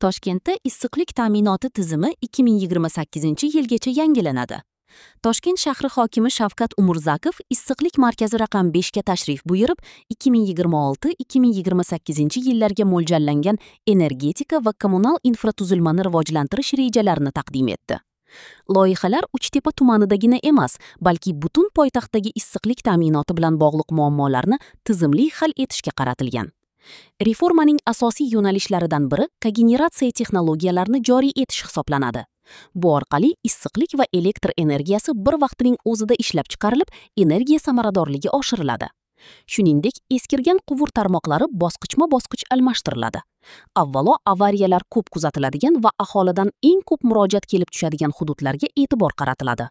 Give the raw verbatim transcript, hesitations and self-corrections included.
Toshkentda issiqlik ta'minoti tizimi ikki ming yigirma sakkizinchi yilgacha yangilanadi. Toshkent shahri hokimi Shavkat Umurzakov issiqlik markazi raqam beshga tashrif buyurib, ikki ming yigirma olti ikki ming yigirma sakkizinchi yillarga mo'ljallangan energetika va kommunal infratuzilmani rivojlantirish rejalarini taqdim etdi. Loyihalar Uchtepa tumanidagina emas, balki butun poytaxtdagi issiqlik ta'minoti bilan bog'liq muammolarni tizimli hal etishga qaratilgan. Reformaning asosiy yo'nalishlaridan biri kogeneratsiya texnologiyalarini joriy etish hisoblanadi. Bu orqali issiqlik va elektr energiyasi bir vaqtning o'zida ishlab chiqarilib, energiya samaradorligi oshiriladi. Shuningdek, eskirgan quvur tarmoqlari bosqichma-bosqich almashtiriladi. Avvalo avariyalar ko'p kuzatiladigan va aholidan eng ko'p murojaat kelib tushadigan hududlarga e'tibor qaratiladi.